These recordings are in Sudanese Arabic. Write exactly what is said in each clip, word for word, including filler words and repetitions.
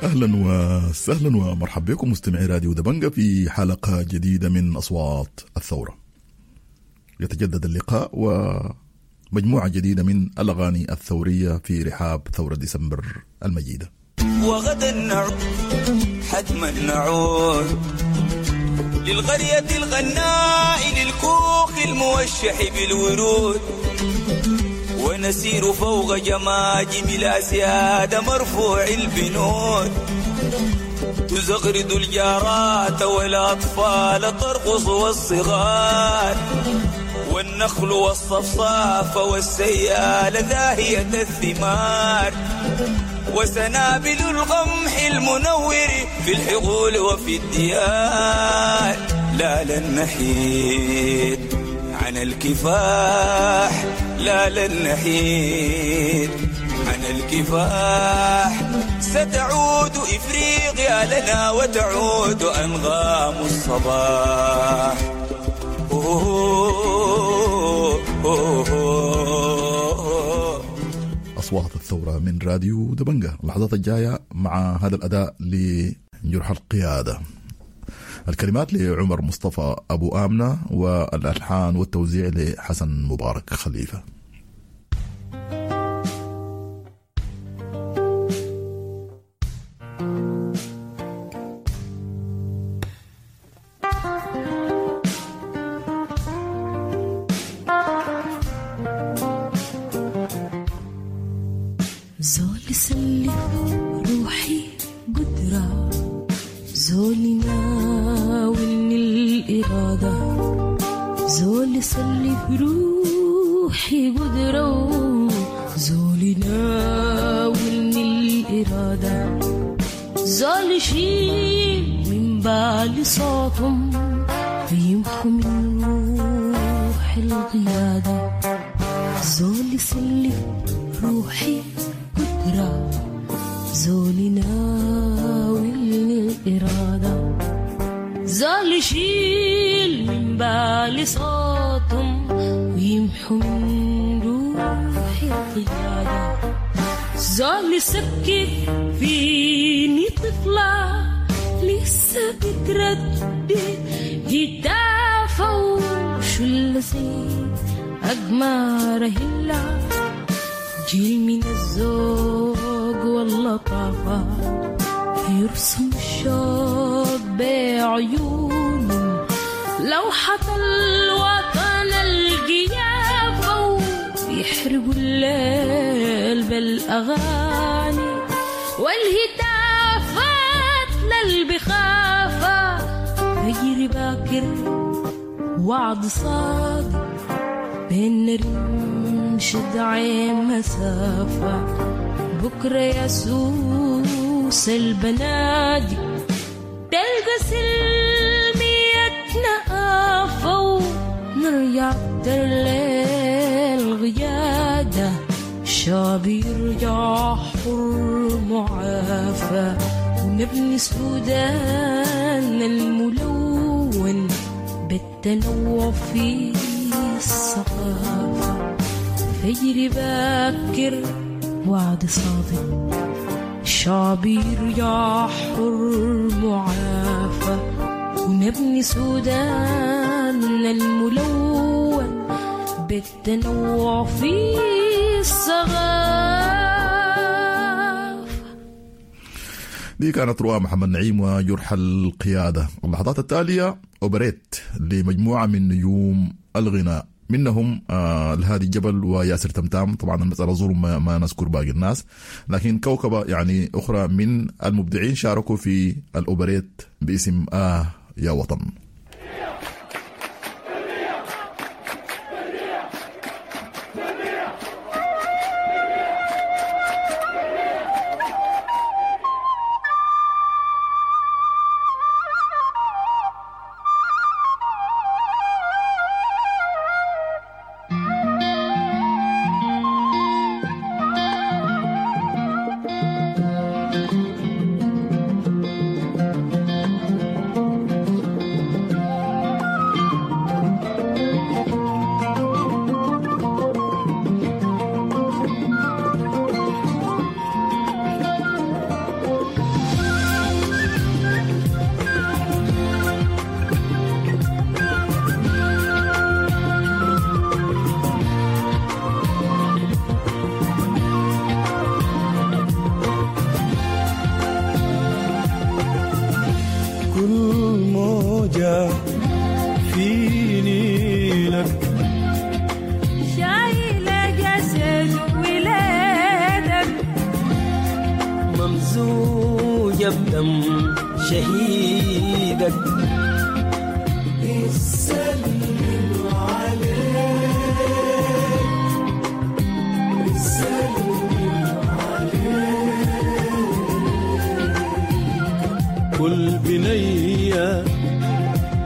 اهلا وسهلا ومرحبا بكم مستمعي راديو دبنجة في حلقة جديدة من اصوات الثورة. يتجدد اللقاء ومجموعة جديدة من الاغاني الثورية في رحاب ثورة ديسمبر المجيدة. وغدا نعود، حتما نعود للقرية الغناء، للكوخ الموشح بالورود، ونسير فوق جماجم الأسياد مرفوع البنود، تزغرد الجارات والأطفال ترقص والصغار، والنخل والصفصاف والسيال ذاهية الثمار، وسنابل القمح المنور في الحقول وفي الديار. لا لن نحيد عن الكفاح، لا لن نحيد عن الكفاح، ستعود إفريقيا لنا وتعود أنغام الصباح. أوه أوه أوه. أصوات الثورة من راديو دبنجة. اللحظات الجاية مع هذا الأداء لجرح القيادة. الكلمات لعمر مصطفى أبو آمنة، والألحان والتوزيع لحسن مبارك خليفة. زول سلف روحي قدرة، زول ناولني الإرادة، زول سلف روحي قدرة، زول ناولني الإرادة، زول شيل من بالي صوتهم ويمحو من روح القيادة، زول سلف روحي قدرة، زول ناولني الإرادة، زول شيل من بالي صوتهم ويمحو من روحي القيادة، زول سكت فيني طفلة لسه بتردد هتافة وشو زي أقمار هلا، جيل من الذوق واللطافة يرسم الشوق بعيونه، لوحة الوطن القيافة ويحرقوا الليل بالأغاني والهتافات للبخافة، فجر باكر وعد صادق بين رمش عين مسافة، بكرة يسوس البنادق تلقى سلميتنا آفة، ونرجع للغيادة الشعب يرجع حر معافى، ونبني سودان الملون بالتنوع في الثقافة، فجر باكر وعد صادق الشعب يرجع حر معافى، ونبني سودان الملون بالتنوع في الثقافة. دي كانت رؤى محمد نعيم وجرح القيادة. اللحظات التالية أوبريت لمجموعة من نجوم الغناء، منهم آه الهادي جبل وياسر تمتام. طبعا المسألة ظلم ما, ما نذكر باقي الناس، لكن كوكبة يعني أخرى من المبدعين شاركوا في الأوبريت باسم آه يا وطن. Thank you. الموية بدم شهيدك. بيسلم عليك، بيسلم عليك. كل بنية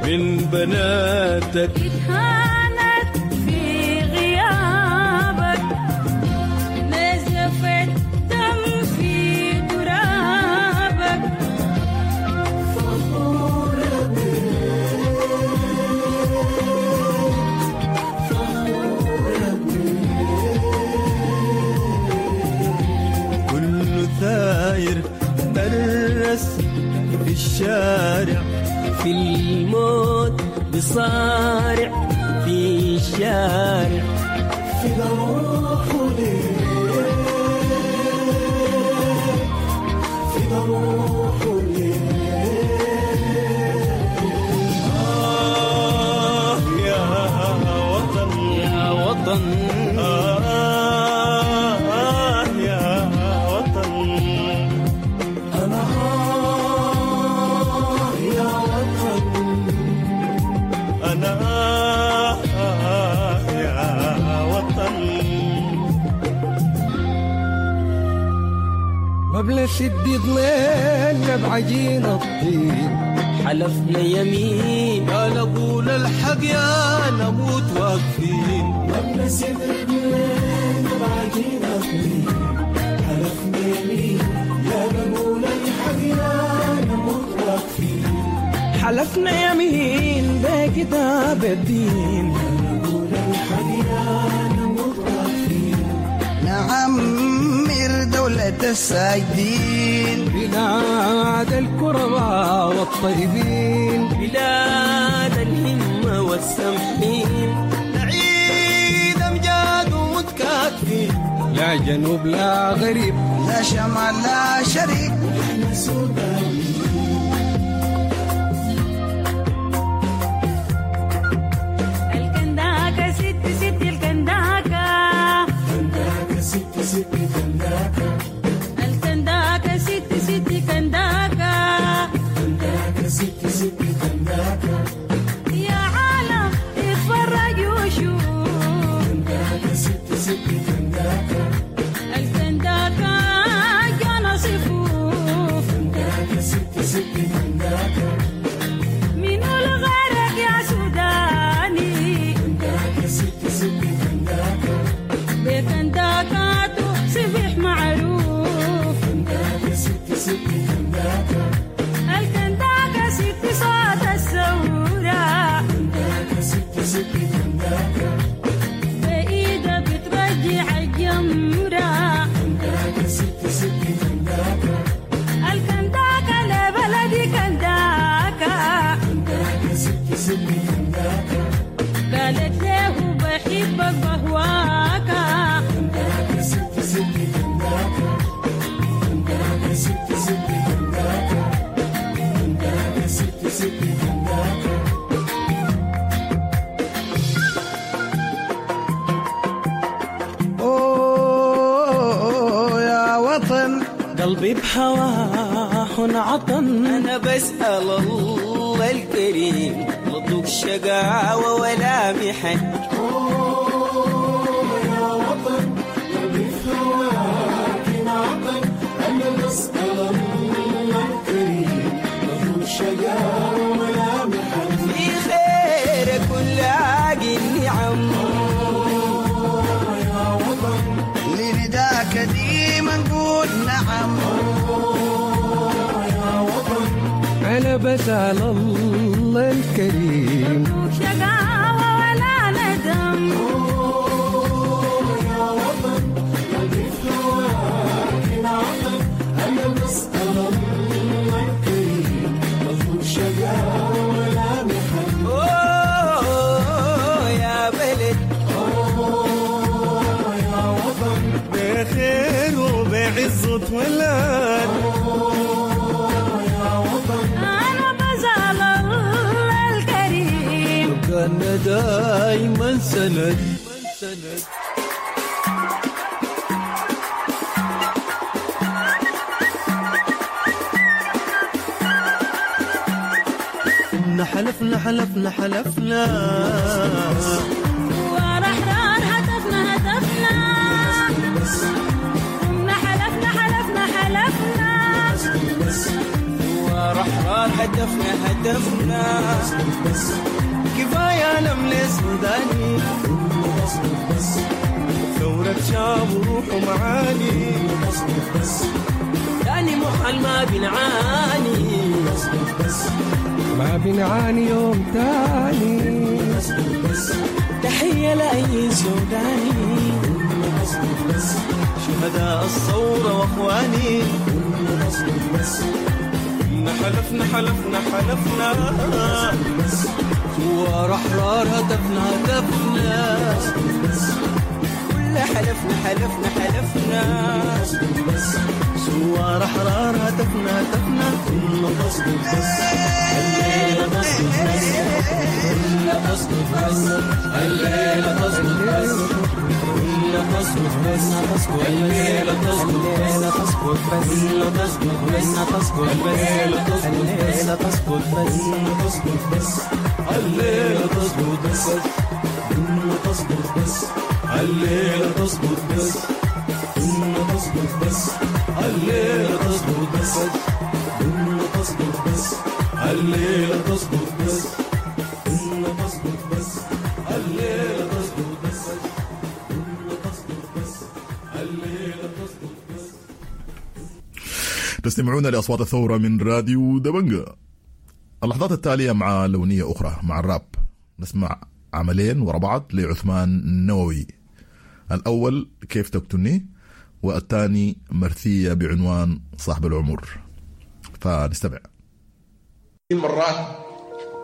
من بناتك اتهانت في غيابك، نزفت دم في ترابك. فخورة بيك، فخورة بيك. كل ثاير درس في الشارع، في الموت بصارع في الشارع. في روحه ليك، في روحه ليك. آه يا وطن، يا وطن، آه يا وطن. أنا آه يا وطن، أنا آه يا وطن. ما بنسد ضليلنا بعجين الطين، حلفنا يمين يا نقول الحق يا نموت واقفين. ما بنسد رجلينا بعجين الطين، حلفنا يمين يا نقول الحق يا نموت واقفين. حلفنا يمين بكتاب الدين، يا نقول الحق يا نموت واقفين. نعمر دولة الساجدين، بلاد الكرماء والطيبين، بلاد الهمة والسمحين. نعيد أمجاد ومتكاتفين، لا جنوب لا غريب، لا شمال لا شريك. احنا سودانيين. الكنداكة ست ست الكنداكة، كنداكة ست ست كنداكة، الكنداكة ست ست كنداكة، كنداكة ست ست كنداكة. يا عالم اتفرج وشوف، كنداكة ست ست كنداكة، الكنداكة جانا صفوف. كنداكة ست ست كنداكة، من الغرق يا سوداني، كنداكة ست ست كنداكة، بكنداكاته صبح معروف. كنداكة ست ست كنداكة، الكنداكة ست صوت الثورة، كنداكة ست ست كنداكة، بإيدها بترجع الجمرة. كنداكة ست ست كنداكة، الكنداكة لبلدي كنداكة، كنداكة ست ست كنداكة، قالت له بحبك بهواك. كنداكة ست ست كنداكة، كنداكة ست ست كنداكة، كنداكة ست ست كنداكة. أوه يا وطن، قلبي بهواه انعطن. أنا بسأل الله الكريم مضوق شقاوة ولا محن. أوه يا وطن، قلبي في هواك انعطن. أنا بسأل الله الكريم مضوق شقاوة ولا محن. في خيرك ونلاقي النعم. أوه يا وطن، لنداك ديما نقول نعم. أوه يا وطن، أنا بسأل الله الكريم مضوق شقاوة ولا ندم. أوه يا وطن، قلبي في هواك انعطن. أنا بسأل الله الكريم مضوق شقاوة ولا محن. أوه يا بلد، أوه يا وطن، بخير وبعز اتولد. أوه يا وطن، أنا بسأل الله الكريم كان دايما سند. حلفنا حلفنا حلفنا ثوار أحرار هدفنا هدفنا قمنا حلفنا حلفنا حلفنا ثوار أحرار هدفنا هدفنا كفاية نمل سوداني ثورة شعب وروح ومعاني تاني محل ما بنعاني ما بنعاني يوم تاني تحية لأي سوداني شهداء الثورة واخواني إن حلفنا حلفنا حلفنا ثوار أحرار هدفنا هدفنا كل حلفنا حلفنا حلفنا ثوار أحرار هدفنا هدفنا كنا تسقط بس الليلة تسقط بس كنا تسقط بس الليلة تسقط بس كنا تسقط بس الليلة تسقط بس كنا تسقط بس الليلة تسقط بس كنا تسقط بس الليلة تسقط بس كنا تسقط بس الليلة تسقط بس كنا تسقط بس الليلة تسقط بس كنا تسقط بس الليلة تسقط بس كنا تسقط بس الليلة تسقط بس كنا تسقط بس الليلة تسقط بس تستمعون لأصوات الثورة من راديو دبنجة. اللحظات التالية مع لونية أخرى مع الراب، نسمع عملين ورا بعض لعثمان النووي. الأول كيف تقتلني، والثاني مرثية بعنوان صاحب العمر. فنستمع. مرات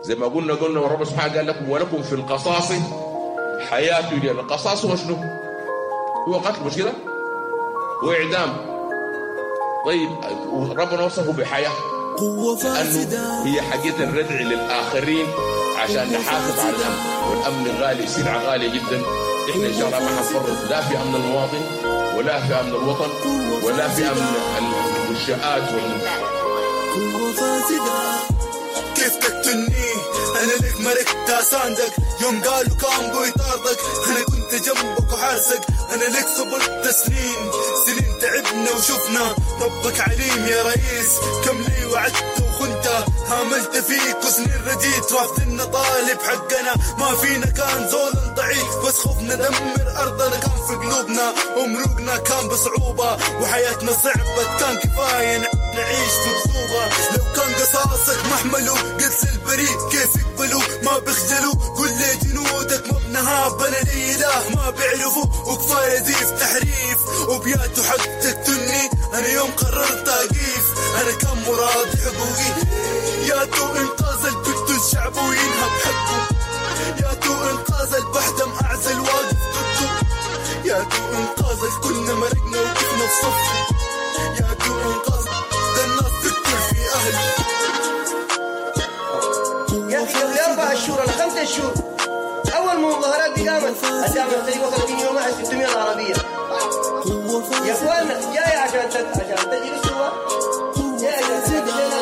زي ما قلنا قلنا ورب سبحانه قال لكم ولكم في القصاص حياة لي. القصاص هو شنو؟ هو قتل، مش كده؟ هو إعدام. طيب ربنا وصفه بحياة قوة لأنه فاسدة هي حقيقة الردع للآخرين عشان نحافظ على الأمن، والأمن غالي، سلعة غالية جدا. إحنا إن شاء الله ما حنفرط لا في أمن المواطن ولا في أمن الوطن ولا في أمن المنشآت وال... قوة فاسدة كيف تقتلني انا لك ملكت اساندك يوم قالوا كان بيطاردك انا كنت جنبك وحارسك انا لك صبرت سنين سنين تعبنا وشفنا ربك عليم يا رئيس كم لي وعدت وخنت هاملت فيك وسنين رديت رافضنا طالب حقنا ما فينا كان زول ضعيف بس خوفنا دمر ارضنا كان في قلوبنا ومروقنا كان بصعوبة وحياتنا صعبت كان كفاية نعيش في بصوبة لو كان قصاصك محملو قتل البريء كيف يقبلوا ما بيخجلوا كل جنودك ما بنهاب انا لي اله ما بيعرفوا وكفاية زيف تحريف وبياتو حق تقتلني انا يوم قررت اقيف انا كان مرادي حقوقي يا تو انقاذ البقتل شعبه وينهب حقه يا تو انقاذ البحدم اعزل واقف ضده يا تو انقاذ الكلنا مرقنا وقفنا في صفه يا تو انقاذ ده الناس تقتل في اهله يا اخي قبل اربع شهور ولا خمسة شهور اول ما المظاهرات دي قامت الدعم السريع وصل فيني يوم واحد ستمية عربية. يا اخوانا جاي عشان تت... عشان تجري الثوار، جاي عشان تجري لنا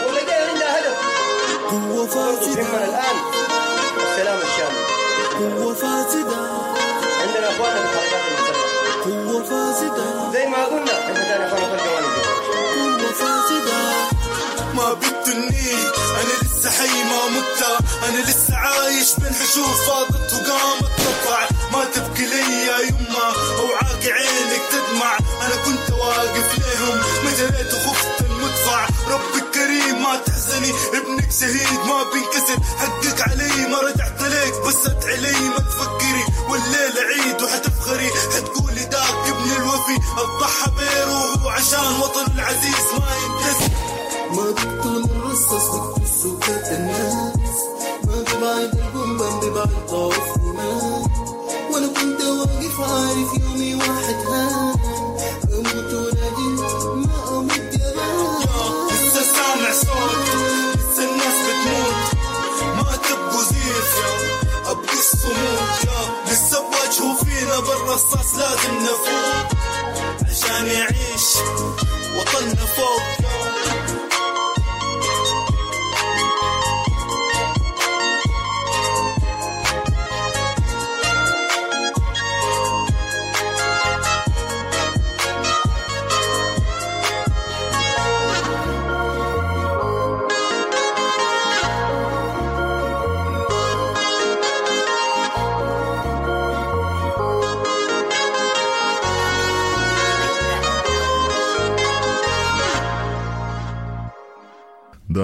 ولا جاي عندها هدف؟ قوة فاسدة يهمنا الان السلام الشامل. قوة فاسدة عندنا اخواننا في الحركات المسلحة قوة فاسدة زي ما قلنا احنا ثاني اخواننا في الجوانب دي. قوة فاسدة ما بقتلني انا لسه حي ما مت انا لسه عايش بين حشور فاضت وقامت تطلع ما تبكي لي يا يما اوعاك عينك تدمع انا كنت واقف ليهم ما جريت وخفت المدفع ربك كريم ما تحزني ابنك شهيد ما بينكسر حقك علي ما رجعت لك بس ادعي لي ما تفكري والليلة عيد وحتفخري حتقولي داك ابن الوفي الضحى بروحه عشان وطنه العزيز ما ينكسر ما بقتل الرصاص بقتل سكات الناس ما ببعد البومبا ببعد ضعف إيمان وانا كنت واقف عارف يومي واحد هان اموت وراجل ما اموت جبان لسه سامع صوت لسه الناس بتموت ما تبقوا زيف ابقوا الصمود يا لسه بواجهوا فينا بالرصاص لازم نفوت عشان يعيش وطننا فوق.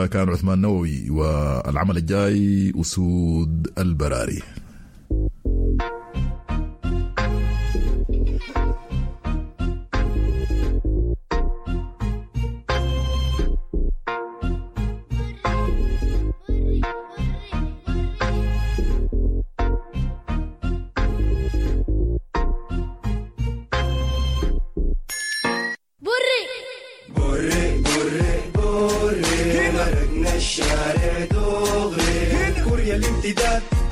كان عثمان نووي، والعمل الجاي أسود البراري.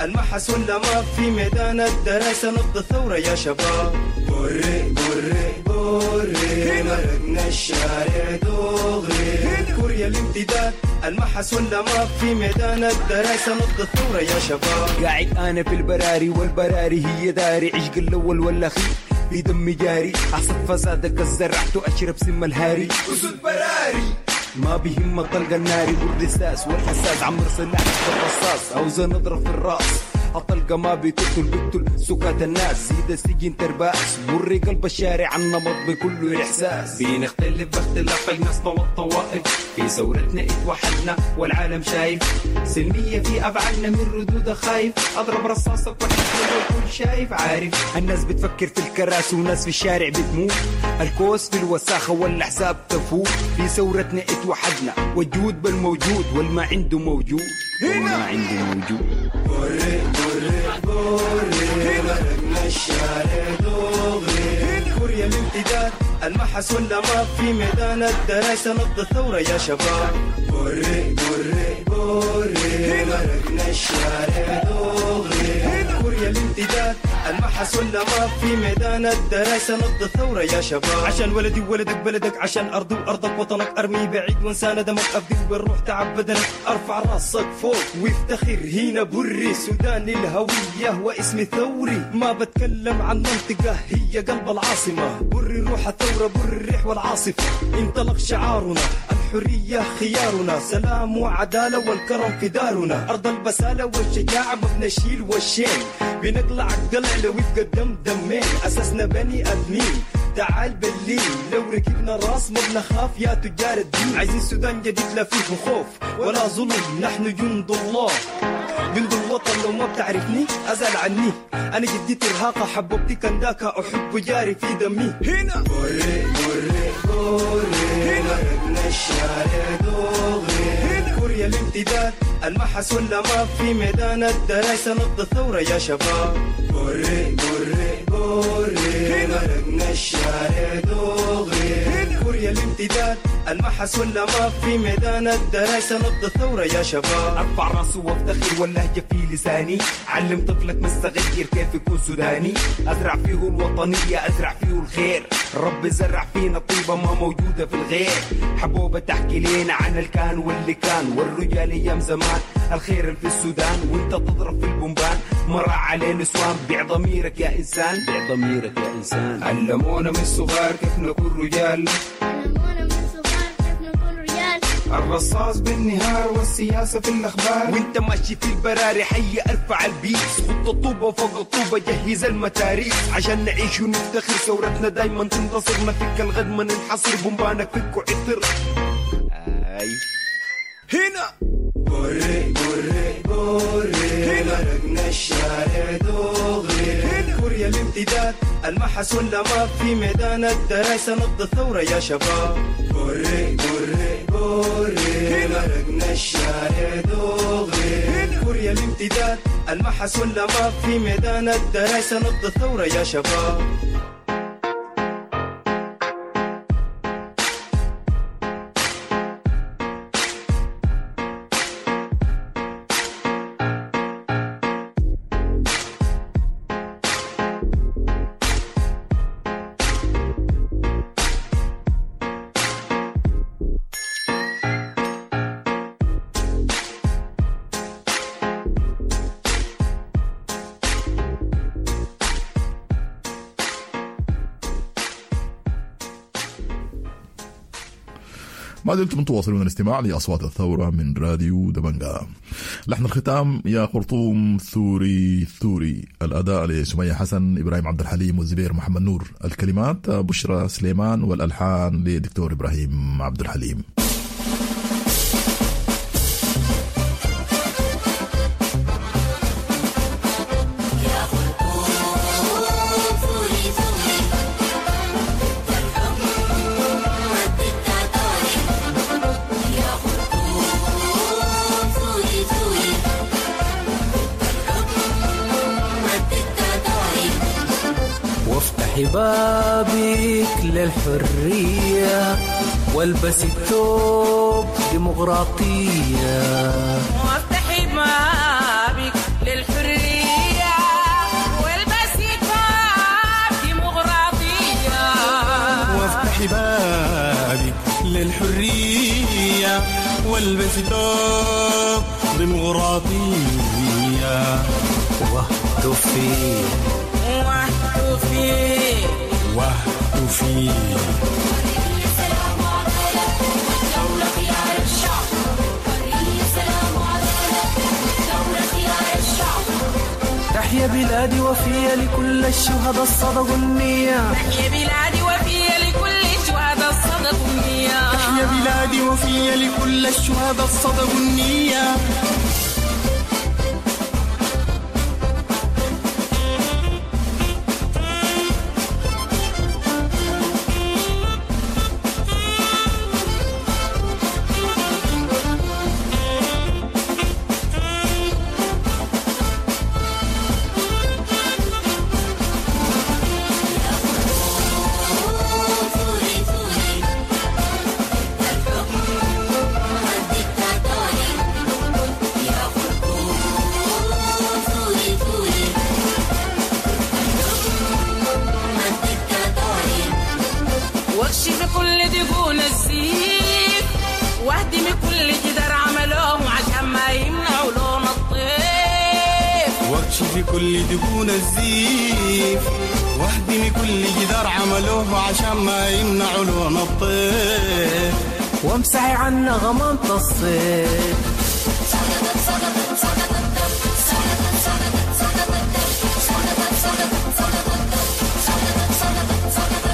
المحس ولا ما في ميدان الدراسة نبض الثورة يا شباب. بري بري بري مرقنا الشارع دغري كوريا الامتداد المحس ولا ما في ميدان الدراسة نبض الثورة يا شباب. قاعد أنا في البراري والبراري هي داري، عشق الأول والأخير في دمي جاري، أحصد فسادك الزرعته أشرب سم الهاري. أسود براري ما بهم الطلقة الناري والرساس والحساس، عمر سلاح بالرصاص أو نضرب في الراس، الطلقة ما بتقتل بتقتل سكات الناس، زيد السجن ترباس بري قلب الشارع النمط بكله إحساس. بنختلف باختلاف أجناسنا والطوائف، في ثورتنا اتوحدنا والعالم شايف، سلمية في أفعالنا من ردود خايف، أضرب رصاصك والكل شايف عارف. الناس بتفكر في الكراسي وناس في الشارع بتموت، الكوس في الوساخة والأحزاب تفوت، في ثورتنا اتوحدنا والجود بالموجود والما عنده موجود والما عنده موجود. بري بري بري مرقنا الشارع دغري كوريا الامتداد المحس ولا ما في ميدان الدراسة نبض الثورة يا شباب. بري بري بري مرقنا الشارع دغري كوريا الامتداد المحس ولا ما في ميدان الدراسة نبض الثورة يا شباب. عشان ولدي وولدك بلدك، عشان أرضي وأرضك وطنك، أرمي بعيد وانسى ندمك، أفدي بالروح تعب بدنك، أرفع راسك فوق وافتخر هنا بري، سوداني الهوية واسمي ثوري، ما بتكلم عن منطقة هي قلب العاصمة، بري روح الثورة بري الريح والعاصفة، انطلق شعارنا الحرية خيارنا، سلام وعدالة والكرم في دارنا، أرض البسالة والشجاعة ما بنشيل والشين، بنقلع القلع لو يبقى الدم دمين، أساسنا بني آدمين تعال بالليل، لو ركبنا راس ما بنخاف يا تجار الدين، عايزين سودان جديد لا فيه خوف ولا ظلم، نحن جند الله جند الوطن، لو ما بتعرفني أزعل عني، أنا جدي ترهاقة حبوبتي كنداكا، أحب جاري في دمي. هنا بري بري بري مرقنا الشارع دغري كوريا الامتداد المحس ولا ما في ميدان الدراسة نبض الثورة يا شباب. بري بري بري مرقنا الشارع دغري كوريا الامتداد المحس ولا ما في ميدان الدراسة نبض الثورة يا شباب. أرفع راسي وافتخر واللهجة في لساني، علم طفلك من الصغير كيف يكون سوداني، أزرع فيه الوطنية أزرع فيه الخير، رب زرع فينا طيبة ما موجودة في الغير، حبوبة تحكي لنا عن الكان واللي كان والرجال أيام زمان، الخير في السودان وانت تضرب في البومبان، مرة على نسوان، بيع ضميرك يا إنسان، بيع ضميرك يا إنسان. علمونا من الصغار كيف نكون رجال، علمونا من الصغار كيف نكون رجال، الرصاص بالنهار والسياسة في الأخبار، وانت ماشي في البراري حي ارفع البيس، خط الطوبة فوق الطوبة جهز المتاريس، عشان نعيش ونفتخر ثورتنا دايما تنتصر، نفك الغد ما ننحصر، بومبانك فك وعطر. آي هنا بري بري بري مرقنا الشارع دغري كوريا الامتداد المحس ولا ما في ميدان الدراسة نبض الثورة يا شباب. بري بري بري مرقنا الشارع دغري كوريا الامتداد المحس ولا ما في ميدان الدراسة نبض الثورة يا شباب. ما زلتم تواصلون الاستماع لأصوات الثورة من راديو دبنجا. لحن الختام يا خرطوم ثوري ثوري، الأداء لسمية حسن، إبراهيم عبد الحليم، والزبير محمد نور، الكلمات بشرى سليمان، والألحان لدكتور إبراهيم عبد الحليم. وافتحي بابك للحرية والبسي الثوب ديمقراطية. وافتحي بابك للحرية والبسي ثوب ديمقراطية. وافتحي بابك للحرية والبسي ثوب ديمقراطية. واهتفي واهتفي واهتفي. سلام وعدالة والدولة خيار الشعب. حرية سلام وعدالة والدولة خيار الشعب. تحيا بلادي وفية لكل الشهداء الصدقوا النية. تحيا بلادي وفية لكل الشهداء الصدقوا النية. تحيا بلادي وفية لكل الشهداء الصدقوا النية. واكشف كل دقون السيف واهدم كل جدار عملوه عشان ما يمنعوا لون الطيف. واكشف كل دقون الزيف واهدم كل جدار عملوه عشان ما يمنعوا لون الطيف. وامسحي عنا غمامة الصيف. سقطت سقطت سقطت سقطت سقطت سقطت سقطت سقطت سقطت سقطت سقطت سقطت.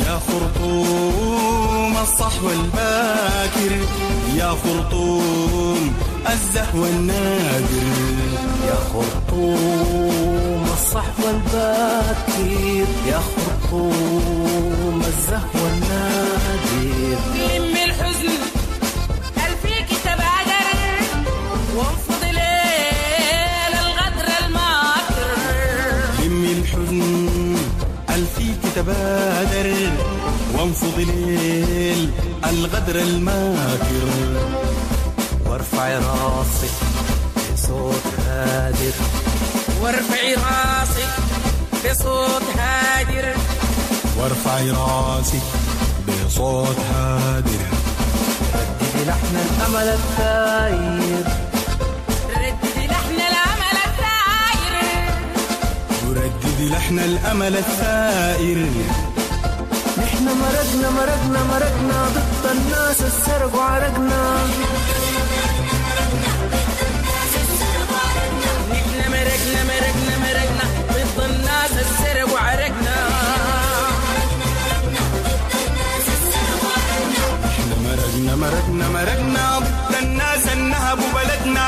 يا خرطوم الصحو الباكر، يا خرطوم الزهو النادر. يا خرطوم الصحو الباكر، يا خرطوم الزهو النادر. لم الحزن الفيك تبادر وانفض ليل الغدر الماكر. لم الحزن الفيك تبادر وانفض ليل الغدر الماكر. وارفعي راسك بصوت هادر. وارفعي راسك بصوت هادر. وارفعي راسك بصوت هادر. رددي لحن الأمل الثاير. رددي لحن الأمل الثاير. ورددي لحن الأمل الثائر. نحن مرقنا مرقنا مرقنا ضد الناس السرقوا عرقنا. نحن مرقنا مرقنا مرقنا ضد الناس السرقوا عرقنا. نحن مرقنا مرقنا مرقنا ضد الناس النهبوا بلدنا.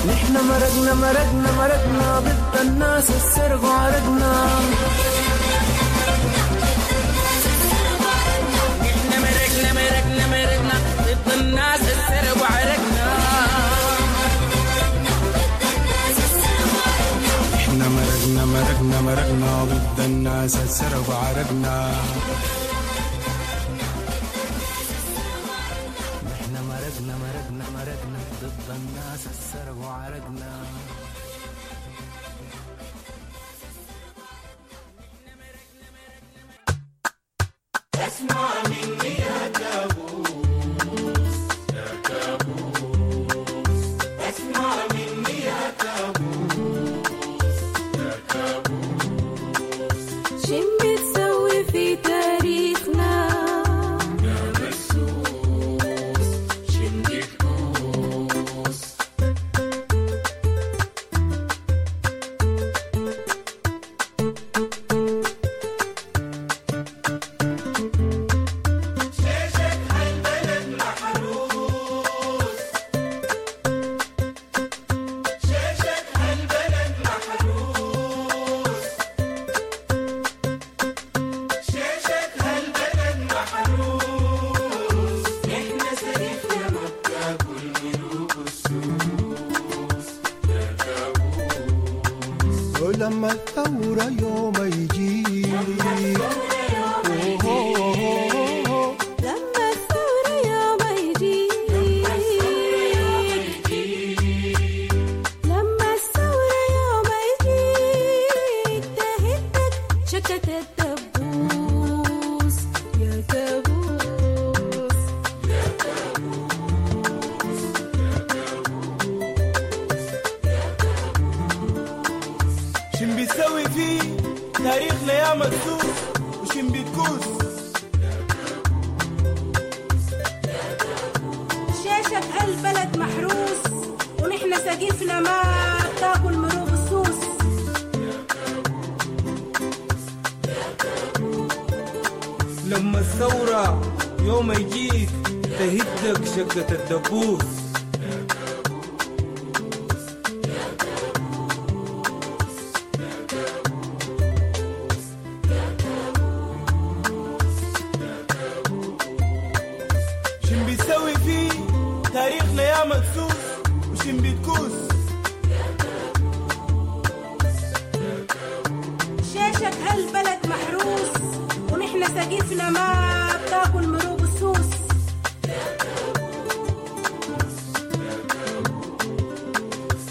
نحن مرقنا مرقنا مرقنا ضد الناس السرقوا عرقنا. نحن مرقنا مرقنا مرقنا ضد الناس السرقوا عرقنا. نحن مرقنا مرقنا مرقنا ضد الناس السرقوا عرقنا. نحن مرقنا مرقنا مرقنا ضد الناس السرقوا عرقنا. اسمع مني يا كابوس، يا كابوس، اسمع مني يا كابوس، يا كابوس. شن بتسوي في تاريخنا؟ كابوس يا كابوس يا كابوس يا كابوس يا كابوس. شن بيسوي فيه تاريخنا يا مدسوس وشن بتكوس. شاشة هالبلد محروس ونحن سقيفنا ما بتاكل مروب السوس. لما الثورة يوم يجيك تهدك شقة الدبوس. شن بيسوي فيه تاريخنا يا مدسوس وشن بتكوس. شاشة هالبلد محروس ونحن سقيفنا ما بتاكل مروب السوس.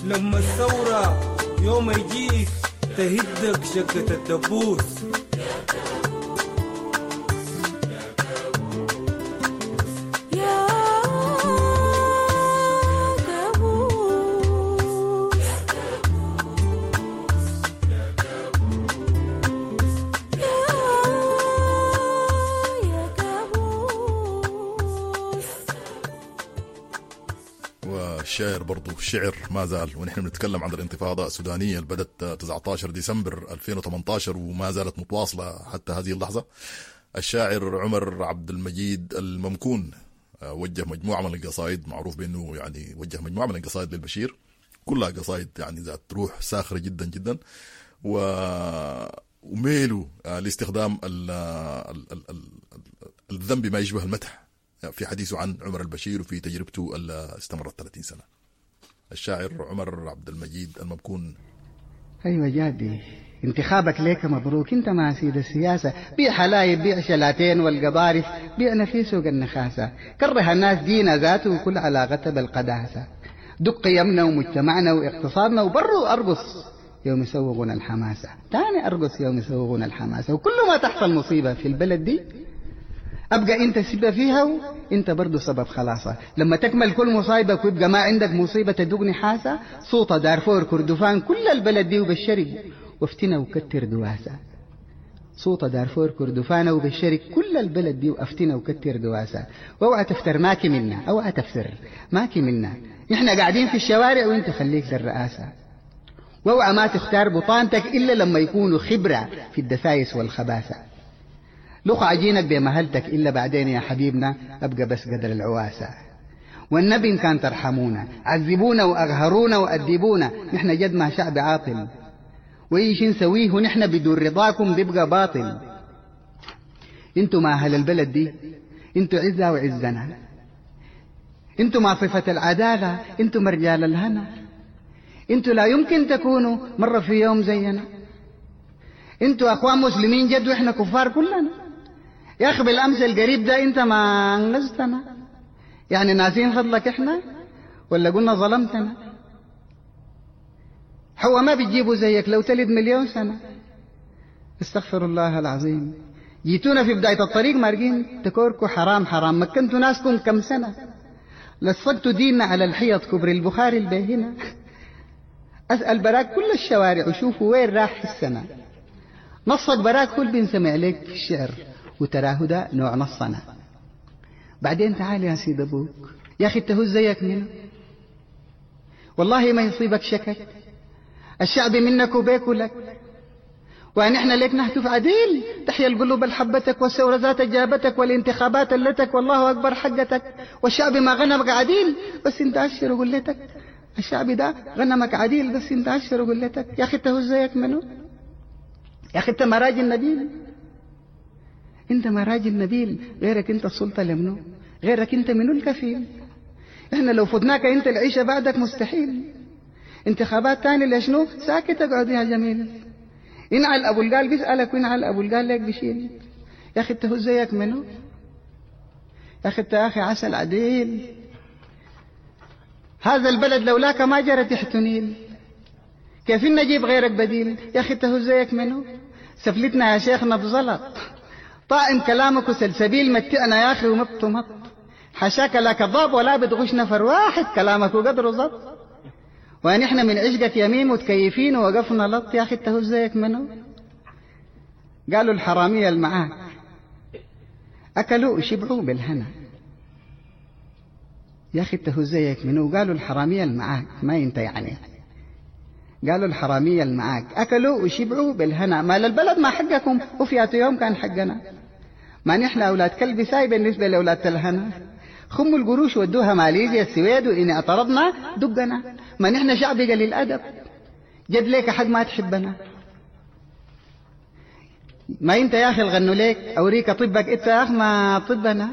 لما الثورة يوم يجيك تهدك شقة الدبوس. يا كابوس يا يا كابوس. والشاعر برضو الشعر ما زال، ونحن بنتكلم عن الانتفاضة السودانية اللي بدت تسعة عشر ديسمبر ألفين وثمانية عشر وما زالت متواصلة حتى هذه اللحظة. الشاعر عمر عبد المجيد الممكون آه، وجه مجموعة من القصائد، معروف بأنه يعني وجه مجموعة من القصائد للبشير، كلها قصائد يعني ذات روح ساخرة جدا جدا و وميله آه، لاستخدام ال ال ال ال الذم بما يشبه المدح في حديثه عن عمر البشير وفي تجربته اللي استمرت ثلاثين سنة. الشاعر عمر عبد المجيد الممكون. أيوة جادي، انتخابك ليك مبروك، انت مع سيد السياسة. بيع حلايب، بيع شلاتين والقضارف، بيعنا في سوق النخاسة. كره الناس دينا ذاته وكل علاقتها بالقداسة. دق قيمنا ومجتمعنا واقتصادنا وبرو أرقص يوم يسوغون الحماسة، تاني أرقص يوم يسوغون الحماسة. وكل ما تحصل مصيبة في البلد دي أبقى أنت سبب فيها وأنت برضو سبب خلاصة. لما تكمل كل مصايبك ويبقى ما عندك مصيبة تدوقني حاسة. سوطة، دارفور، كردفان، كل البلد دي وبالشرق، وافتنا وكتر دواسة. سوطة، دارفور، كردفان وبالشرق، كل البلد دي وافتنا وكتر دواسة. واوعى تفتر ماكي منا، اوعى تفتر ماكي منا، نحن قاعدين في الشوارع وانت خليك للرئاسة. واوعى ما تختار بطانتك إلا لما يكونوا خبرة في الدسايس والخباثة. لخ عجينك بمهلتك إلا بعدين يا حبيبنا أبقى بس قدر العواسة. والنبي إن كان ترحمونا عذبونا وأقهرونا وأدبونا، نحن جد ما شعب عاطل، وإيش نسويه ونحن بدون رضاكم بيبقى باطل. انتوا ما أهل البلد دي، انتوا عزة وعزنا، انتوا ما صفة العدالة، انتوا مرجال الهنا، انتوا لا يمكن تكونوا مرة في يوم زينا. انتوا اخوان مسلمين جد واحنا كفار كلنا. يا اخي بالامس القريب ده انت ما انقذتنا، يعني ناسين فضلك احنا ولا قلنا ظلمتنا؟ هو ما بتجيبوا زيك لو تلد مليون سنة. استغفر الله العظيم. جيتونا في بداية الطريق مارقين تكوركوا حرام حرام، مكنتوا ناسكم كم سنة، لصقتوا ديننا على الحيط كبر البخاري البيهنة. أسأل براك كل الشوارع وشوفوا وين راح السنة. نصك براك كل بنسمع لك في الشعر وتراه ده نوع نصنا. بعدين تعال يا سيد أبوك، يا أخي انت هو زيك منه، والله ما يصيبك شكك. الشعب منك وبيك ولك، ونحن لك نهتف عديل. تحيا القلوب الحبتك والثورة ذات جابتك والانتخابات اللتك والله أكبر حقتك. والشعب ما غنمك عديل بس انت عشر وقلتك. الشعب ده غنمك عديل بس انت عشر وقلتك. يا أخي انت هو زيك منه؟ يا أخي انت ما راجل نبيل، انت ما راجل نبيل. غيرك انت السلطة لمنو؟ غيرك انت منو الكفيل؟ احنا لو فتناك انت العيشة بعدك مستحيل. انتخابات تاني لشنو؟ ساكت اقعد يا جميل. انعل ابو القال بيسألك وانعل ابو القال لك بشيل. يا اخي انت هو زيك منو؟ يا اخي انت يا اخي عسل عديل. هذا البلد لولاك ما جرت تحت نيل، كيف نجيب غيرك بديل؟ يا اخي انت هو زيك منو؟ سفلتنا يا شيخنا بزلط. طائم كلامك وسلسبيل متعنا يا أخي وما بتمط. حشاك لا كذاب ولا بتغش نفر واحد كلامك وقدره زط. ونحن من عشقك يمين متكيفين ووقفنا لط. يا أخي انت هو زيك منو؟ قالوا الحرامية المعاك أكلوا وشبعوا بالهنا. يا أخي انت هو زيك منو؟ قالوا الحرامية المعاك، ما انت يعني. قالوا الحرامية المعاك أكلوا وشبعوا بالهنا. مال البلد ما حقكم وفي يوم كان حقنا. ما نحن أولاد كلب ساي بالنسبة لأولاد الهنا. خموا القروش ودوها ماليزيا السويد وإن اعترضنا دقنا. ما نحن شعب قليل الأدب جد ليك حق ما تحبنا. ما انت يا أخي الغنوا ليك أوريك طبك انت يا أخي ما طبنا.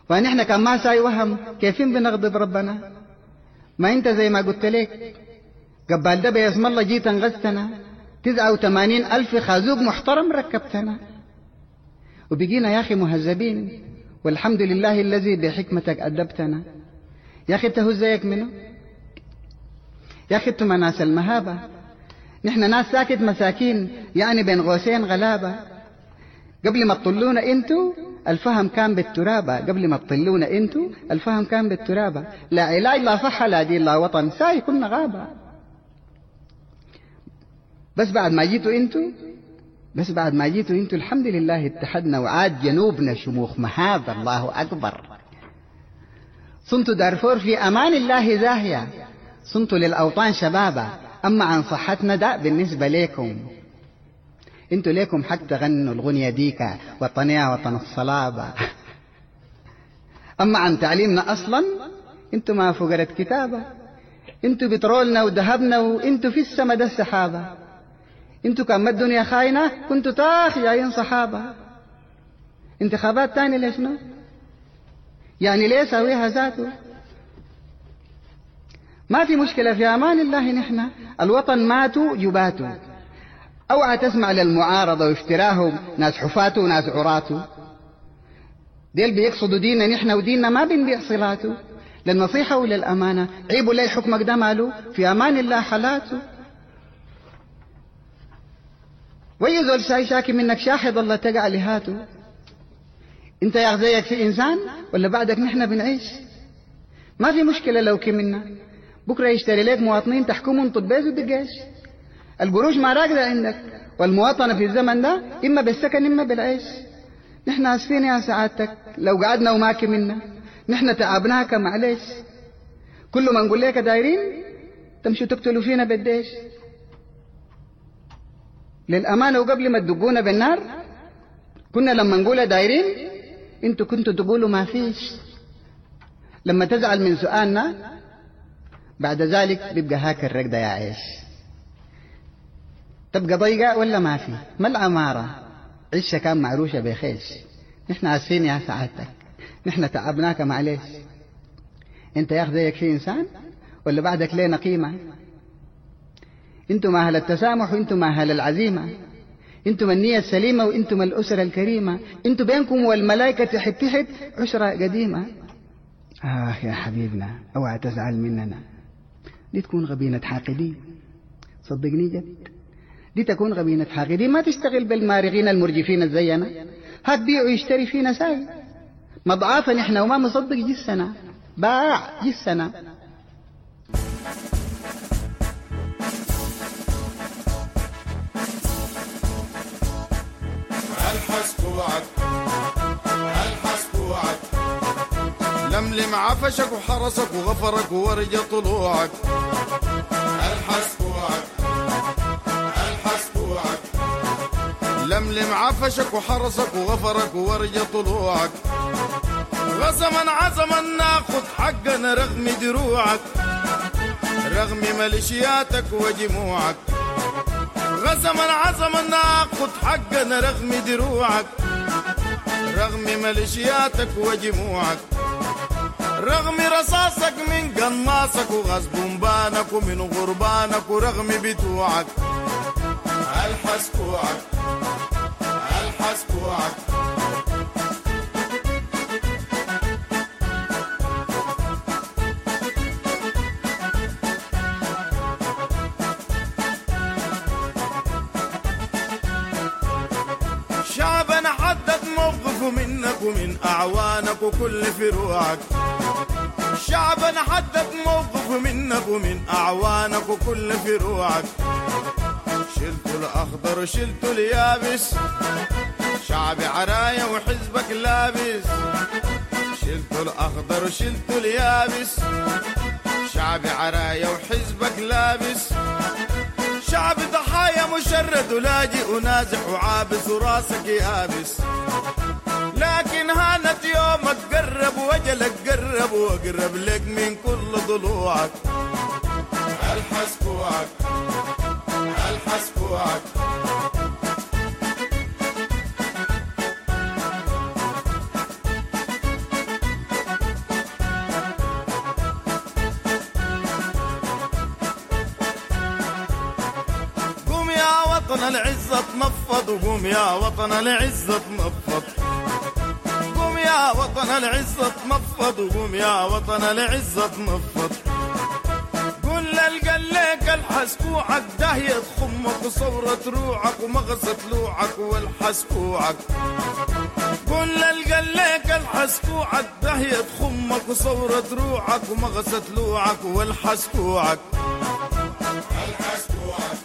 ونحن كان ما ساي وهم كيفين بنغضب ربنا. ما انت زي ما قلت لك قبال ده باسم الله جيت انغزتنا تسعة وثمانين ألف خازوق محترم ركبتنا. وبقينا يا أخي مهذبين والحمد لله الذي بحكمتك أدبتنا. يا أخي انت هو زيك منه؟ يا أخي انتم ناس المهابة، نحن ناس ساكت مساكين يعني بين غوسين غلابة. قبل ما تطلونا انتو الفهم كان بالترابة، قبل ما تطلونا انتو الفهم كان بالترابة. لا علاج لا صحة لا دين لا وطن ساي كنا غابة. بس بعد ما جيتوا انتو بس بعد ما جيتوا انتو الحمد لله اتحدنا وعاد جنوبنا شموخ مهابة. الله أكبر. صنتوا دارفور في أمان الله زاهية، صنتوا للأوطان شبابة. أما عن صحتنا ده بالنسبة ليكم انتوا ليكم حق تغنوا الغنية ديكا وطنيا وطن الصلابة. أما عن تعليمنا أصلا انتوا ما فقرة كتابة، انتوا بترولنا وذهبنا وانتوا في السما ده السحابة. انتوا كان ما الدنيا خاينة كنتوا تاخ جايين صحابة. انتخابات تاني ليش نو؟ يعني ليه ساويها ذاته؟ ما في مشكلة في أمان الله نحن الوطن ماتوا جباتوا. اوعى تسمع للمعارضة وافتراهم ناس حفاته وناس عراته. ديل بيقصدوا ديننا نحن وديننا ما بنبيع صلاته. للنصيحة وللأمانة عيبوا لي حكمك ده ماله في أمان الله حالاته. ويزول شاي شاكي منك شاحد الله تقع لهاته. انت يا زيك في إنسان ولا بعدك نحن بنعيش؟ ما في مشكلة لو كمنا بكرة يشتري لك مواطنين تحكمهم طبيز ودقاش. القروش ما راكدة عندك والمواطنة في الزمن ده إما بالسكن إما بالعيش. نحن آسفين يا سعادتك لو قعدنا وما كملنا، نحن تعبناك معلش. كل ما نقول لك دايرين تمشوا تقتلوا فينا بالديش. للأمانة وقبل ما تدقونا بالنار كنا لما نقول دايرين انتوا كنتوا تقولوا ما فيش. لما تزعل من سؤالنا بعد ذلك بيبقى هاك الرقدة يا عيش. تبقى ضيقة ولا ما في؟ ما العمارة عشة كان معروشة بخيش. نحن آسفين يا سعادتك نحن تعبناك معلش. انت يا زيك في إنسان ولا بعدك لينا قيمة؟ انتم أهل التسامح وانتم أهل العزيمة، انتم النية السليمة وانتم الأسرة الكريمة، انتم بينكم والملائكة تحت تحت عشرة قديمة. آه يا حبيبنا اوعى تزعل مننا، دي تكون غبينة حاقدين صدقني جد. دي تكون غبينة حاقدين. ما تشتغل بالمارغين المرجفين زينا، هات بيع ويشتري فينا ساي مضعافا نحن وما مصدق جسنا باع جسنا. الحس كوعك الحس كوعك لملم عفشك وحرسك وغفرك وورجة طلوعك. الحس كوعك الحس كوعك لملم عفشك وحرسك وغفرك وورجة طلوعك. غزما عزما ناخد حقنا رغم دروعك رغم ميليشياتك وجموعك. غزما عزما ناخد حقنا رغم دروعك رغم ميليشياتك وجموعك. رغم رصاصك من قناصك وغاز بومبانك ومن غربانك ورغم بتوعك. الحس كوعك الحس كوعك. شعبنا حدد موقفه منك ومن أعوانك وكل فروعك. شعبنا حدد موقفه منك ومن أعوانك وكل فروعك. شلت الأخضر وشلت اليابس، شعبي عرايا وحزبك لابس. شلت الأخضر وشلت اليابس، شعبي عرايا وحزبك لابس. شعب ضحايا مشرد ولاجئ ونازح وعابس وراسك يابس. لكن هانت يومك قرب وجلك قرب واقرب لك من كل ضلوعك. الحس كوعك، الحس كوعك. قوم يا وطن العزة تنفض، وقوم يا وطن العزة تنفض. قوم يا وطن العزة تنفض، وقوم يا وطن العزة تنفض. قول للقليك الحس كوعك، داهية خمك وصورة روعك ومغصة لوعك والحس كوعك. قول للقليك الحس كوعك، داهية خمك وصورة روعك ومغصة لوعك والحس كوعك. الحس كوعك،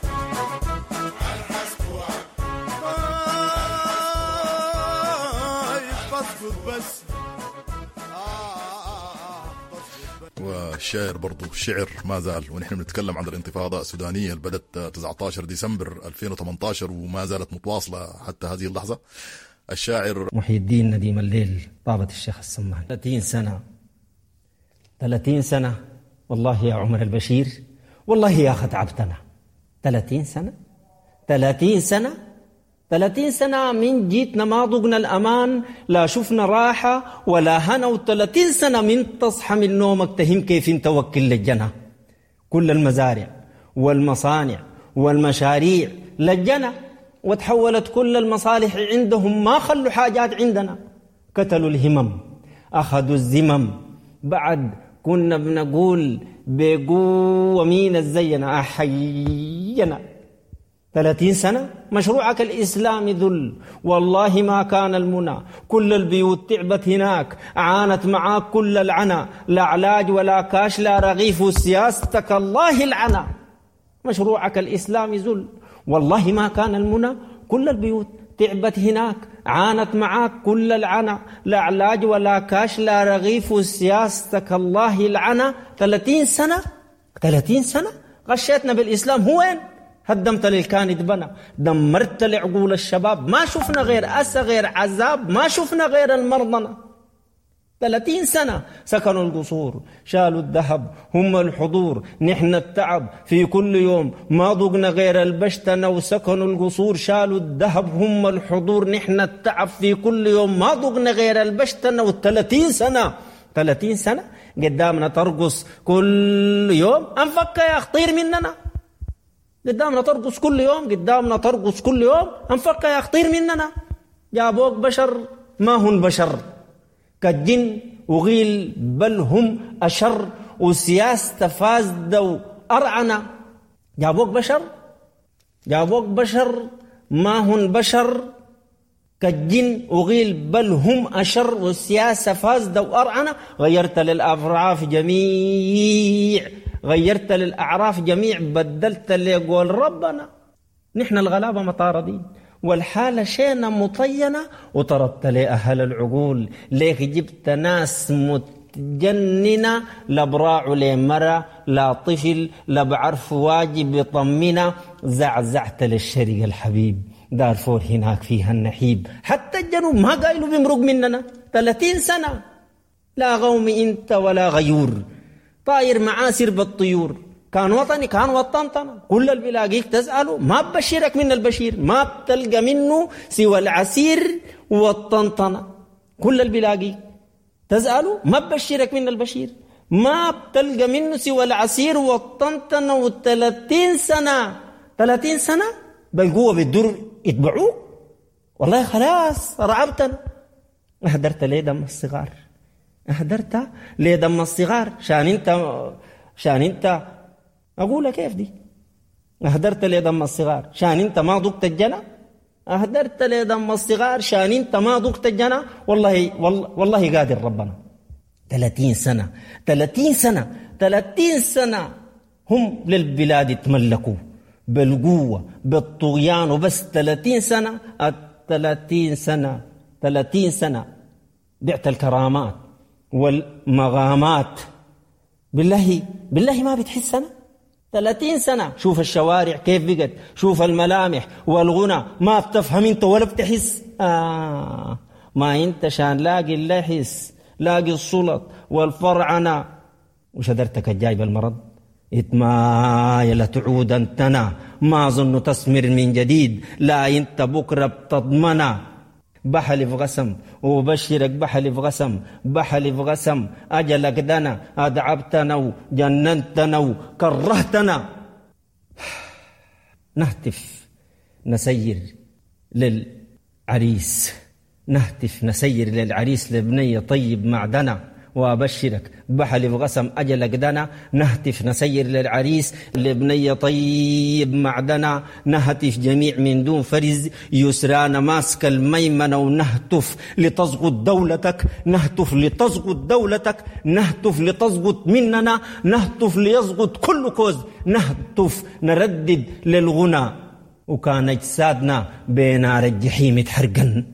الحس كوعك. آه بس. والشاعر برضو الشعر ما زال، ونحن بنتكلم عن الانتفاضة السودانية اللي بدت تسعة عشر ديسمبر ألفين وثمانية عشر وما زالت متواصلة حتى هذه اللحظة. الشاعر محي الدين نديم الليل، طابة الشيخ السمان. ثلاثين سنة، ثلاثين سنة والله يا عمر البشير، والله يا أخي تعبتنا. ثلاثين سنة، ثلاثين سنة، ثلاثين سنة من جيتنا ما ضقنا الأمان، لا شفنا راحة ولا هنا. وثلاثين سنة من تصحى من نومك تهم كيف انت وكل للجنة. كل المزارع والمصانع والمشاريع للجنة، وتحولت كل المصالح عندهم، ما خلوا حاجات عندنا. قتلوا الهمم، أخذوا الزمم. بعد كنا بنقول بقوة مين الزينا أحينا. ثلاثين سنة مشروعك الإسلامي ذل، والله ما كان المنى. كل البيوت تعبت هناك، عانت معاك كل العنا، لا علاج ولا كاش لا رغيف، سياستك الله العنا. مشروعك الإسلامي ذل، والله ما كان المنى. كل البيوت تعبت هناك، عانت معاك كل العنا، لا علاج ولا كاش لا رغيف، سياستك الله العنا. ثلاثين سنة، ثلاثين سنة غشيتنا بالإسلام. هو وين؟ هدمت للكان اتبنى، دمرت لعقول الشباب، ما شفنا غير أسى غير عذاب، ما شفنا غير المرضنة. ثلاثين سنة سكنوا القصور، شالوا الذهب هم الحضور، نحن التعب في كل يوم، ما ضقنا غير البشتنة. وسكنوا القصور، شالوا الذهب هم الحضور، نحن التعب في كل يوم، ما ضقنا غير البشتنة. والثلاثين سنة، ثلاثين سنة قدامنا ترقص كل يوم، أنفك يا خطير مننا. قدامنا ترقص كل يوم، قدامنا ترقص كل يوم، أنفك يا خطير مننا. جابوك بشر ما هن بشر، كالجن وغيل بل هم أشر، وسياسة فاسدة وأرعنة. جابوك بشر، جابوك بشر ما هن بشر، كالجن وغيل بل هم أشر، والسياسة فاسدة وأرعنة. غيرت للأعراف جميع، غيرت للأعراف جميع، بدلت لقول ربنا. نحن الغلابة مطاردين والحالة شينا مطينة، وطردت لأهل العقول. ليك جبت ناس متجننة، لا براع لمرة لا طفل لا بعرف واجب يطمنة. زعزعت للشرق الحبيب، دارفور هناك فيها النحيب، حتى الجنوب ما قايلوا بيمرق مننا. ثلاثين سنة لا غوم انت ولا غيور، طاير معاسر بالطيور. كان وطني كان وطنطنا، كل اللي بيلاقيك تسأله ما ببشرك من البشير، ما بتلقى منه سوى العسير والطنطنة. كل اللي بيلاقيك تسأله ما ببشرك من البشير، ما بتلقى منه سوى العسير والطنطنة. والثلاثين سنة، ثلاثين سنة بالقوة بالدر يتبعوك. والله خلاص رعبتنا. أهدرت ليه دم الصغار، أهدرت ليه دم الصغار، شان انت، شان انت أقولها كيف دي؟ أهدرت لي دم الصغار شان انت ما ضقت الجنة. أهدرت لدم الصغار شان انت ما ذقت الجنة. والله والله, والله قادر ربنا. ثلاثين سنة ثلاثين سنة ثلاثين سنة هم للبلاد تملكوا بالقوة بالطغيان وبس. ثلاثين سنة ثلاثين سنة ثلاثين سنة بعت الكرامات والمغامات. بالله بالله ما بتحس سنة ثلاثين سنة. شوف الشوارع كيف بقت، شوف الملامح والغنى، ما بتفهم انت ولا بتحس. آه ما انت شان لاقي اللحس، لاقي السلط والفرعنة وشدرتك الجايب المرض. اتمايل تعود انتنا، ما ظن تثمر من جديد، لا انت بكرة بتضمنا. بحلف غسم وبشرك بحلف غسم بحلف غسم أجلك دنا، أدعبتنا وجننتنا وكرهتنا. نهتف نسير للعريس، نهتف نسير للعريس لبنية طيب معدنا. وأبشرك بحلف غسم أجلك دنا، نهتف نسير للعريس لبنية طيب معدنا. نهتف جميع من دون فرز، يسرانا ماسك الميمنة، ونهتف لتسقط دولتك، نهتف لتسقط دولتك، نهتف لتسقط مننا، نهتف ليسقط كل كوز، نهتف نردد للغنى. وكان أجسادنا بنار الجحيم تحرقن،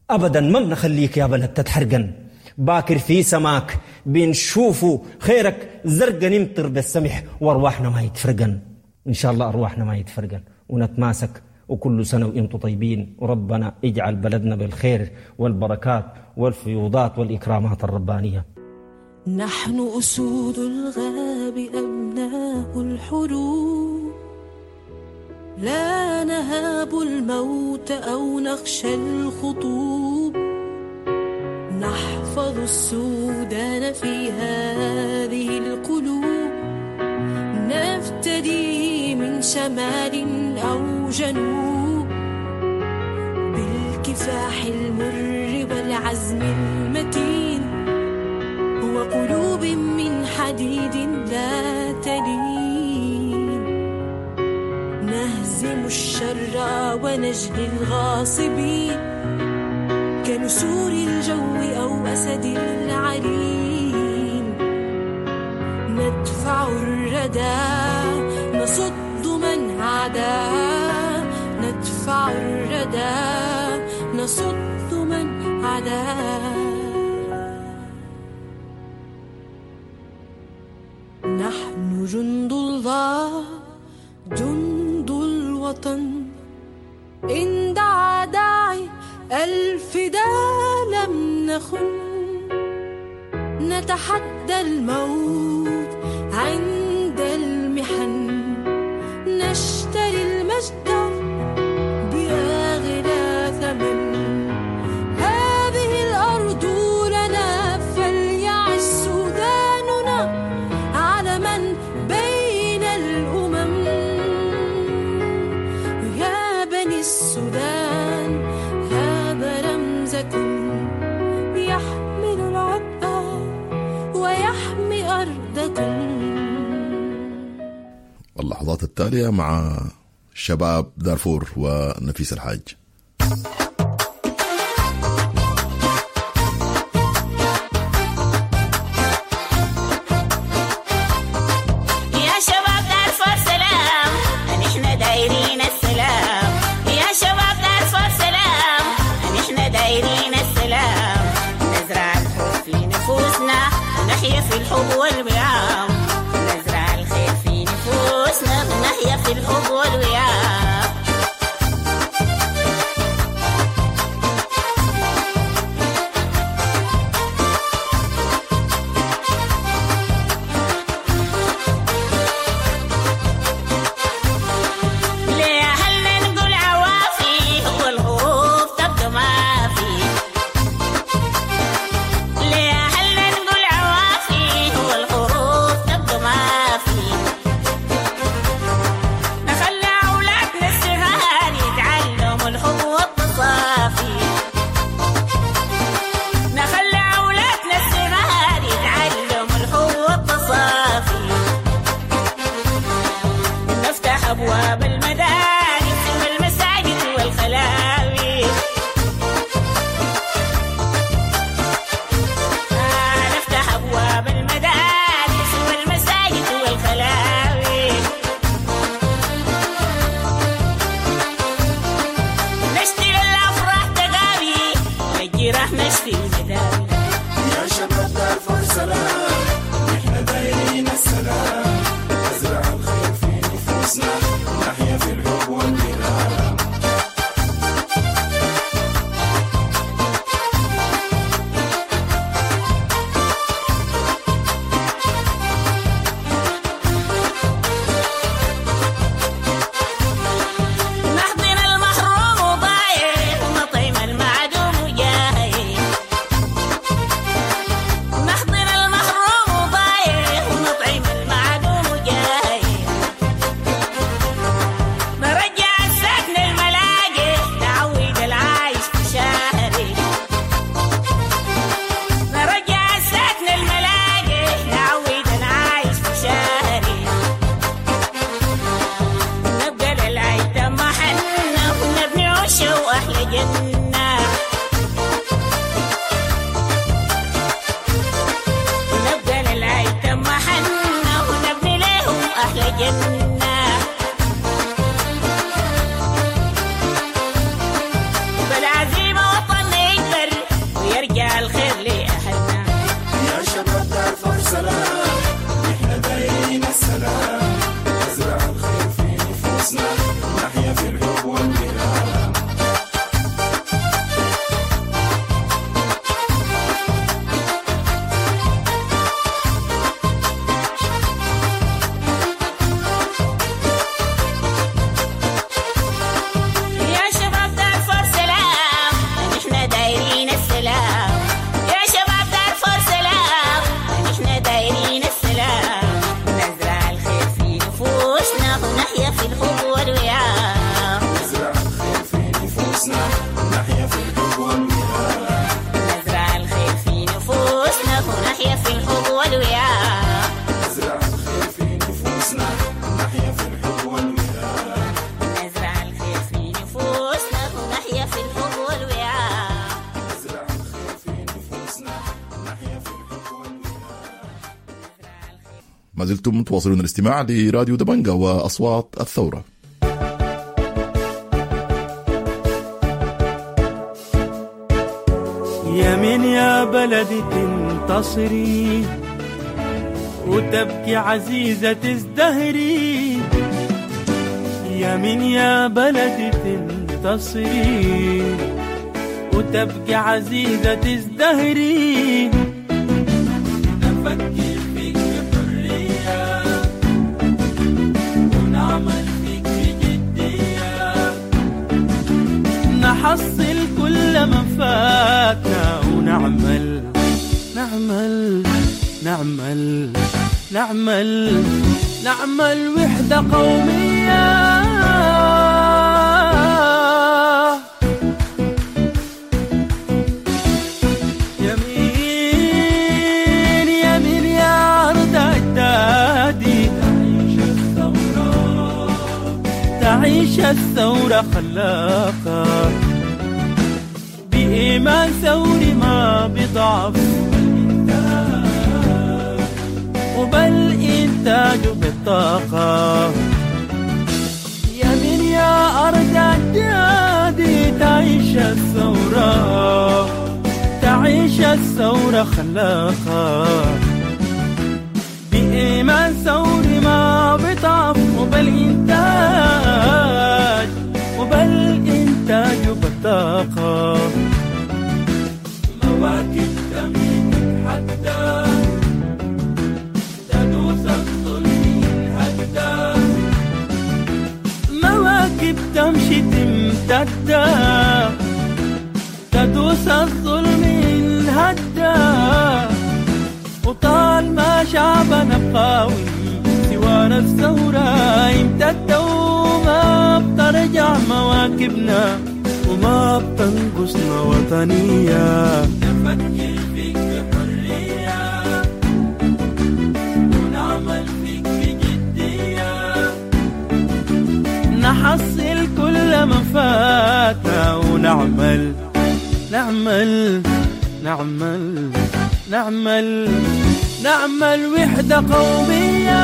أبدا ما بنخليك يا بلد تتحرقن. باكر في سماك بنشوفه خيرك زرقا، نمطر بالسمح وارواحنا ما يتفرقن. إن شاء الله أرواحنا ما يتفرقن ونتماسك. وكل سنة وإنتم طيبين، وربنا اجعل بلدنا بالخير والبركات والفيوضات والإكرامات الربانية. نحن أسود الغاب أبناء الحروب، لا نهاب الموت أو نخشى الخطوب، نحفظ السودان في هذه القلوب، نفتدي من شمال أو جنوب، بالكفاح المر والعزم المتين، وقلوب من حديد لا تلين، نهزم الشر ونجلي الغاصبين، كنسور الجو أو أسد العرين، ندفع الردى نصد من عدا، ندفع الردى نصد من عدا. نحن جند الله جند الوطن، إن دعا داعي الفداء لم نخن، نتحدى الموت عند المحن، نشتري المجد بأغلى ثمن، هذه الأرض لنا فليعش سوداننا علما بين الأمم. يا بني السودان يحمل العبء ويحمي أرضكم. اللحظات التالية مع شباب دارفور ونفيس الحاج. يا شباب دارفور سلام، نحن دايرين السلام. يا شباب دارفور سلام، نحن دايرين السلام. نزرع الحب في نفوسنا ونحيا في الحب والوئام، نزرع الخير في نفوسنا ونحيا في الحب والوئام. لأهلنا نقول عوافي والغروب تبقى ما في، لأهلنا نقول عوافي والغروب تبقى ما في، نخلي أولادنا الجراح نشفي ونداوي. يا شباب دارفور سلام، نحن دايرين السلام، نزرع الخير في نفوسنا، نحيا في الحب والكرام. نحضن المحروم وضايع، ونطعم المعدوم وجايع. نحضن المحروم وضايع، ونطعم المعدوم وجايع. نرجع الساكن الملاجئ، نعود العايش في شهري. نرجع الساكن الملاجئ، نعود العايش في شهري. نبقى للأيتام محلنا، ونبني عشة وأحلى جنة. نبقى للأيتام محلنا، ونبني لهم أحلى جنة. بالعزيمة وطننا يكبر، ويرجع الخير لأهلنا. يا شباب دارفور سلام، نحن دايرين السلام، نزرع الخير في نفوسنا، نحيا في الحب والكرام. يا شباب دارفور سلام، نحن دايرين السلام. يا شباب دارفور سلام، نحن دايرين السلام، نزرع الخير في نفوسنا، ونحيا في الحب والوئام. نزرع الخير في نفوسنا، نحيا في الحب والوئام. نزرع الخير في نفوسنا، ونحيا في الحب والوئام. نزرع الخير في نفوسنا، نحيا في الحب والوئام. نزرع الخير في نفوسنا، ونحيا في الحب والوئام. نزرع الخير في نفوسنا، نحيا في الحب والوئام. ما زلتم تواصلون الاستماع لراديو دبنجا وأصوات الثورة. يمين يا بلدي تنتصري، وتبكي عزيزة تزدهري. يمين يا بلدي تنتصري، وتبكي عزيزة تزدهري. نفكر فيك بحرية، ونعمل فيك بجدية، نحصل كل ما فاتنا، ونعمل نعمل نعمل نعمل نعمل وحدة قومية. يمين يمين يا أرض أجدادي، تعيش الثورة، تعيش الثورة خلاقة، بإيمان ثوري ما بضعف، وبالإنتاج بالطاقة. يمين يا أرض أجدادي، تعيش الثورة، تعيش الثورة خلاقة، بإيمان ثوري ما بضعف، وبالإنتاج وبالإنتاج بالطاقة. مواكب تمشي تتحدى، تدوس الظلم ينهدى. مواكب تمشي تمتدى، تدوس الظلم ينهدى. وطال ما شعبنا قوي، سوانا الثورة يمتد، وما بترجع مواكبنا، وما بتنقصنا وطنية. نفكر فيك بحرية، ونعمل فيك بجدية، نحصل كل ما فاتنا، ونعمل نعمل نعمل نعمل نعمل وحدة قومية.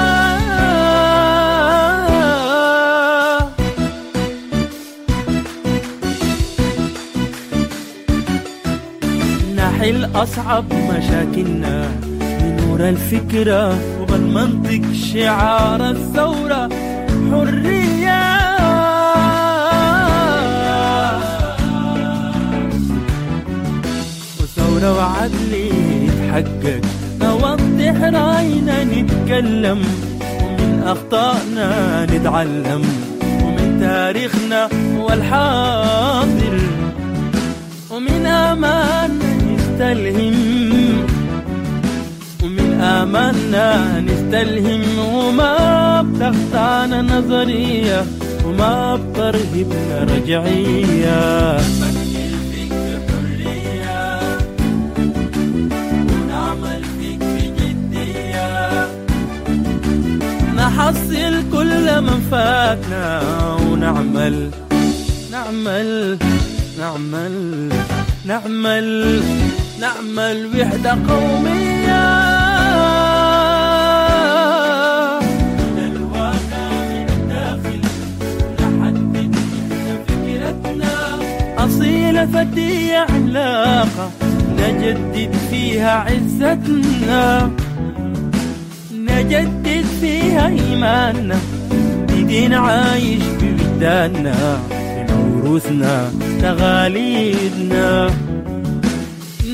نحل أصعب مشاكلنا بنور الفكرة وبالمنطق، شعار الثورة حرية. وثورة وعدل يتحقق، نوضح رأينا نتكلم، ومن أخطائنا نتعلم، ومن تاريخنا والحاضر، ومن آمالنا نستلهم، ومن آمالنا نستلهم، وما بتخطانا نظرية، وما بترهبنا رجعية. نفكر فيك بحرية، ونعمل فيك بجدية، نحصل كل من فاتنا، ونعمل نعمل نعمل نعمل نعمل وحدة قومية. من الواقع من الداخل نحدد إحنا فكرتنا، أصيلة فتية عملاقة نجدد فيها عزتنا، نجدد فيها إيماننا بدين عايش بوجداننا، بموروثنا تغاليدنا،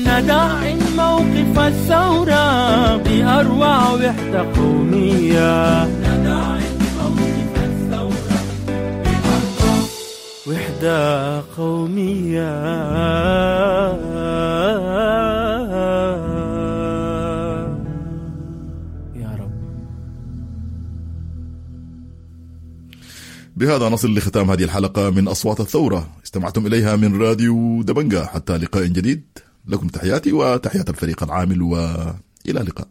ندعم موقف الثورة بأروع وحدة قومية، ندعم موقف الثورة بأروع وحدة قومية. يا رب. بهذا نصل لختام هذه الحلقة من أصوات الثورة، استمعتم إليها من راديو دبنجا. حتى لقاء جديد، لكم تحياتي وتحيات الفريق العامل، وإلى اللقاء.